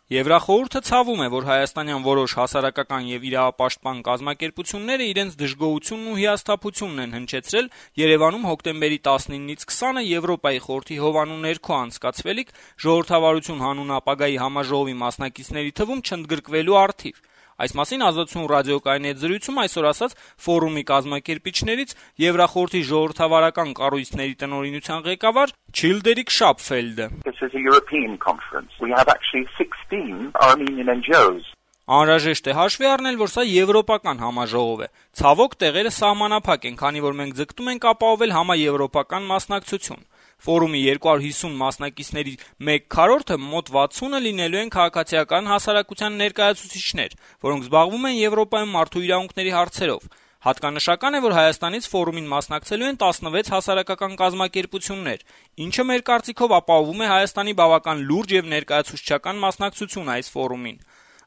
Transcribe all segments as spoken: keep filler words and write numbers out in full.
Եվրախորհուրդը ցավում է, որ հայաստանյան որոշ հասարակական եւ իրավապաշտպան կազմակերպությունները իրենց դժգոհությունն ու հիասթափությունն են հնչեցրել Երևանում հոկտեմբերի տասնինից քսանը Եվրոպայի խորհրդի հովանու ներքո անցկացվելիք ժողովրդավարություն հանուն ապագայի համաժողովի մասնակիցների թվում չընդգրկվելու առթիվ։ Այս մասին Ազատություն ռադիոկայանի հետ զրույցում այսօր ասաց ֆորումի կազմակերպիչներից Եվրախորհրդի ժողովրդավարական կառույցների տնօրինության ղեկավար Չիլդերիկ Շապֆելդը։ This is a European conference. We have actually sixteen Armenian N G Os. Անհրաժեշտ է հաշվի առնել, որ սա եվրոպական համաժողով է։ Ցավոք տեղերը սահմանափակ են, քանի որ մենք ձգտում ենք ապահովել համաեվրոպական մասնակցություն։ Ֆորումի երկու հարյուր հիսուն մասնակիցների մեկ քառորդը մոտ վաթսունը լինելու են քաղաքացիական հասարակության ներկայացուցիչներ, որոնք զբաղվում են Եվրոպայում մարդու իրավունքների հարցերով։ Հատկանշական է, որ Հայաստանից ֆորումին մասնակցելու են տասնվեց հասարակական կազմակերպություններ, ինչը մեր կարծիքով ապահովում է Հայաստանի բավական լուրջ եւ ներկայացուցչական մասնակցություն այս ֆորումին։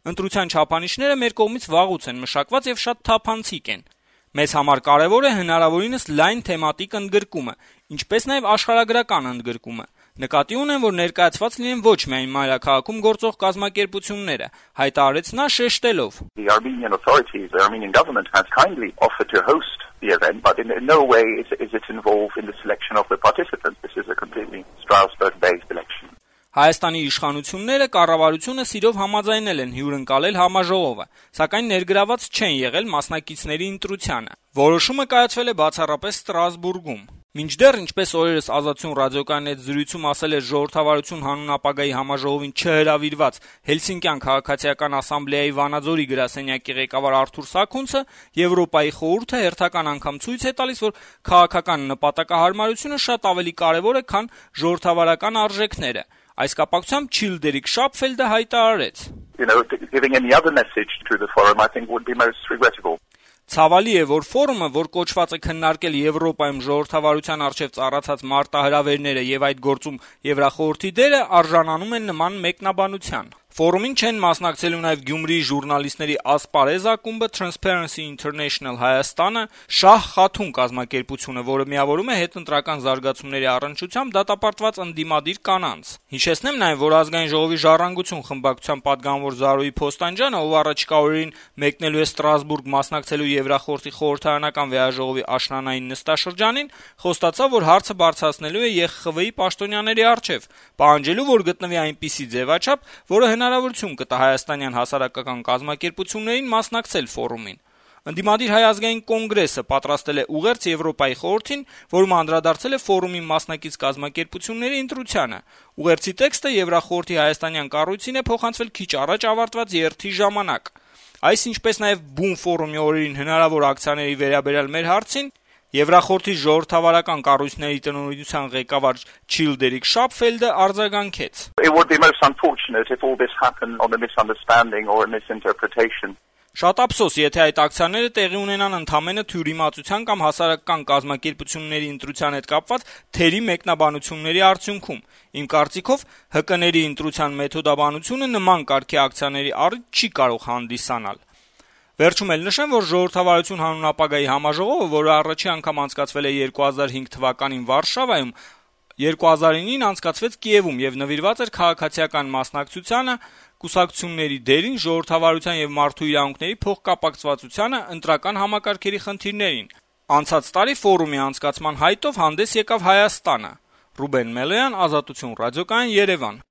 Ընտրության չափանիշները մեր կողմից վաղուց են մշակված եւ շատ թափանցիկ են։ Մեզ համար կարեւոր է հնարավորինս լայն թեմատիկ ընդգրկումը, ինչպես նաեւ աշխարհագրական ընդգրկումը։ Նկատի ունեմ, որ ներկայացված լինեն ոչ միայն մայրաքաղաքում գործող կազմակերպությունները, հայտարարեց նա շեշտելով. The Armenian authorities, the Armenian government has kindly offered to host the event, but in no way is, is it involved in the selection of the participants. This is a completely Strasbourg-based election. Հայաստանի իշխանությունները կառավարությունը սիրով համաձայնել են հյուրընկալել համաժողովը, սակայն ներգրաված չեն եղել մասնակիցների ընտրությանը։ Որոշումը կայացվել է բացառապես Ստրասբուրգում։ Մինչդեռ, ինչպես օրերս Ազատություն ռադիոկայանի հետ զրույցում ասել էր ժողովրդավարություն հանուն ապագայի համաժողովին չհրավիրված Հելսինկյան քաղաքացիական ասամբլեայի Վանաձորի գրասենյակի ղեկավար Արթուր Սաքունցը, Եվրոպայի խորհուրդը հերթական անգամ ցույց է տալիս, որ քաղաքական նպատակահարմարությունը շատ ավելի կարևոր է, քան ժողովրդավարական արժեքները։ Այս կապակցությամբ Չիլդերիկ Շապֆելդը հայտարարեց. You know, giving any other message to the forum I think would be most regrettable. Ցավալի է, որ ֆորումը, որ կոչված է քննարկել Եվրոպայում ժողովրդավարության առջև ծառացած մարտահրավերները եւ այդ գործում Եվրախորհրդի դերը, արժանանում են նման մեկնաբանության։ Ֆորումին չեն մասնակցելու նաև Գյումրիի ժուրնալիստների ասպարեզ ակումբը, Transparency International Հայաստանը, Շահ Խաթուն կազմակերպությունը, որը միավորում է հետընտրական զարգացումների առնչությամբ դատապարտված ընդդիմադիր կանանց։ Հիշեցնեմ նաև, որ ազգային ժողովի ժառանգություն խմբակցության պատգամավոր Զարուհի Փոստանջյանը, ով առաջիկա օրերին մեկնելու է Ստրասբուրգ մասնակցելու Եվրախորհրդի խորհրդարանական վեհաժողովի աշնանային նստաշրջանին, խոստացավ, որ հարցը բարձրացնելու է Ե Խ Խ V-ի պաշտոնյաների առջև, պահանջելու, որ գտնվի այնպիսի ձևաչափ, որը հնարավորություն կտա հայաստանյան հասարակական կազմակերպություններին մասնակցել ֆորումին։ Ընդդիմադիր Հայ ազգային կոնգրեսը պատրաստել է ուղերձ Եվրոպայի խորհրդին, որում անդրադարձել է ֆորումի մասնակից կազմակերպությունների ընտրությանը։ Ուղերձի տեքստը Եվրախորհրդի հայաստանյան կառույցին է փոխանցվել քիչ առաջ ավարտված երթի ժամանակ։ Այս ինչպես նաև բուն ֆորումի օրերին հնարավոր ակցիաների վերաբերյալ մեր հարցին Եվրախորհրդի ժողովրդավարական կառույցների տնօրինության ղեկավար Չիլդերիկ Շապֆելդը արձագանքեց. It would be most unfortunate if all this happened on a misunderstanding or a misinterpretation. Շատ ափսոս, եթե այդ ակցիաները տեղի ունենան ընդամենը թյուրիմացության կամ հասարակական կազմակերպությունների ընտրության հետ կապված թերի մեկնաբանությունների արդյունքում։ Իմ կարծիքով Հ Կ-ների ընտրության մեթոդաբանությունը նման կարգի ակցիաների առիթ չի կարող հանդիսանալ։ Վերջում էլ նշեմ, որ ժողովրդավարություն հանուն ապագայի համաժողովը, որը առաջի անգամ անցկացվել է երկու հազար հինգ թվականին Վարշավայում, երկու հազար ինին անցկացվեց Կիևում եւ նվիրված էր քաղաքացիական մասնակցությանը, կուսակցությունների դերին, ժողովրդավարության եւ մարդու իրավունքների փոխկապակցվածությանը, ընտրական համակարգերի խնդիրներին։ Անցած տարի ֆորումի անցկացման հայտով հանդես եկավ Հայաստանը։ Ռուբեն Մելոյան, Ազատություն ռադիոկայան, Երևան։